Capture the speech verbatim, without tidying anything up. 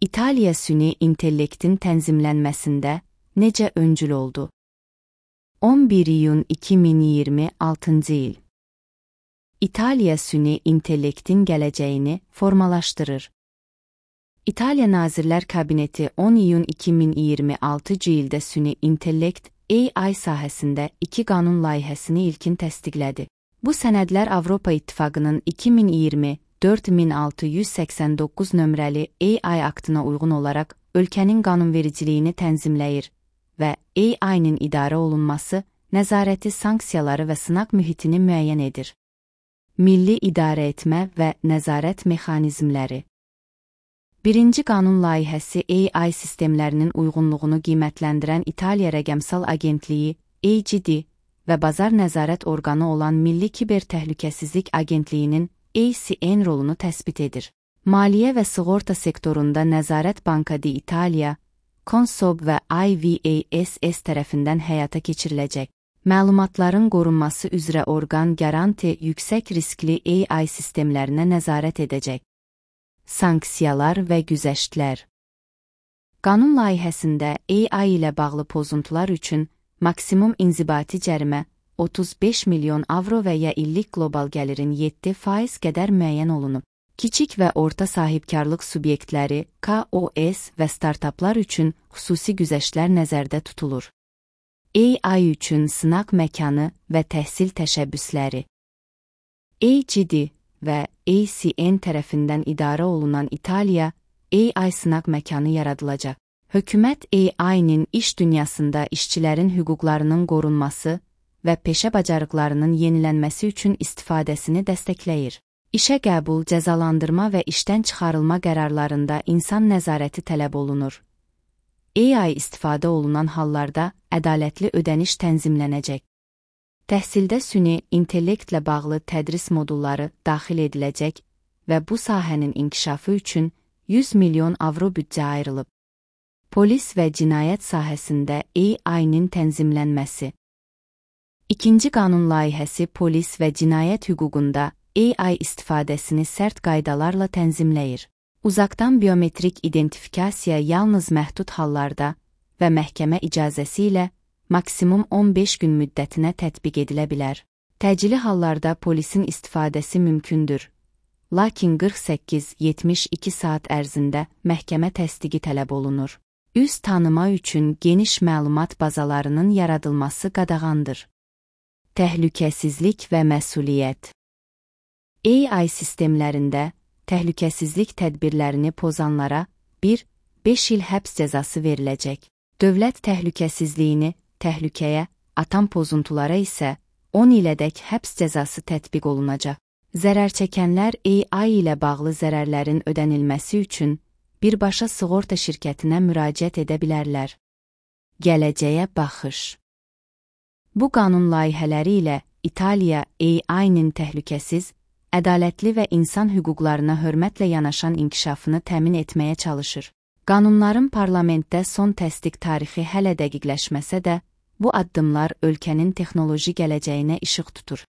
İtaliya süni intellektin tənzimlənməsində necə öncül oldu? on bir iyun iki min iyirmi altıncı il. İtaliya süni intellektin gələcəyini formalaşdırır. İtaliya Nazirlər Kabineti on iyun iki min iyirmi altıncı ildə süni intellekt A I sahəsində iki qanun layihəsini ilkin təsdiqlədi. Bu sənədlər Avropa İttifaqının iki min iyirmi dörd min altı yüz səksən doqquz nömrəli A I aktına uyğun olaraq ölkənin qanunvericiliyini tənzimləyir və A I-nin idarə olunması, nəzarəti, sanksiyaları və sınaq mühitini müəyyən edir. Milli idarə etmə və nəzarət mexanizmləri. Birinci qanun layihəsi A I sistemlərinin uyğunluğunu qiymətləndirən İtaliya Rəqəmsal Agentliyi A G D və Bazar Nəzarət Orqanı olan Milli Kiber Təhlükəsizlik Agentliyinin A C N rolunu təsbit edir. Maliyyə və sığorta sektorunda Nəzarət Banka di Italia, Consob və I V A S S tərəfindən həyata keçiriləcək. Məlumatların qorunması üzrə orqan Garanti yüksək riskli A I sistemlərinə nəzarət edəcək. Sanksiyalar və güzəştlər. Qanun layihəsində A I ilə bağlı pozuntular üçün maksimum inzibati cərimə otuz beş milyon avro və ya illik qlobal gəlirin yeddi faiz qədər müəyyən olunub. Kiçik və orta sahibkarlıq subyektləri, K O S və startaplar üçün xüsusi güzəştlər nəzərdə tutulur. A I üçün sınaq məkanı və təhsil təşəbbüsləri. A G D və A C N tərəfindən idarə olunan İtaliya A I sınaq məkanı yaradılacaq. Hökumət A I-nin iş dünyasında işçilərin hüquqlarının qorunması və peşə bacarıqlarının yenilənməsi üçün istifadəsini dəstəkləyir. İşə qəbul, cəzalandırma və işdən çıxarılma qərarlarında insan nəzarəti tələb olunur. A I istifadə olunan hallarda ədalətli ödəniş tənzimlənəcək. Təhsildə süni intellektlə bağlı tədris modulları daxil ediləcək və bu sahənin inkişafı üçün yüz milyon avro büdcə ayrılıb. Polis və cinayət sahəsində A I-nin tənzimlənməsi. İkinci qanun layihəsi polis və cinayət hüququnda A I istifadəsini sərt qaydalarla tənzimləyir. Uzaqdan biometrik identifikasiya yalnız məhdud hallarda və məhkəmə icazəsi ilə maksimum on beş gün müddətinə tətbiq edilə bilər. Təcili hallarda polisin istifadəsi mümkündür, lakin qırx səkkiz yetmiş iki saat ərzində məhkəmə təsdiqi tələb olunur. Üz tanıma üçün geniş məlumat bazalarının yaradılması qadağandır. Təhlükəsizlik və məsuliyyət. A I sistemlərində təhlükəsizlik tədbirlərini pozanlara bir beş il həbs cəzası veriləcək. Dövlət təhlükəsizliyini təhlükəyə atan pozuntulara isə on ilədək həbs cəzası tətbiq olunacaq. Zərər çəkənlər A I ilə bağlı zərərlərin ödənilməsi üçün birbaşa sığorta şirkətinə müraciət edə bilərlər. Gələcəyə baxış. Bu qanun layihələri ilə İtaliya A I-nin təhlükəsiz, ədalətli və insan hüquqlarına hörmətlə yanaşan inkişafını təmin etməyə çalışır. Qanunların parlamentdə son təsdiq tarixi hələ dəqiqləşməsə də, bu addımlar ölkənin texnoloji gələcəyinə işıq tutur.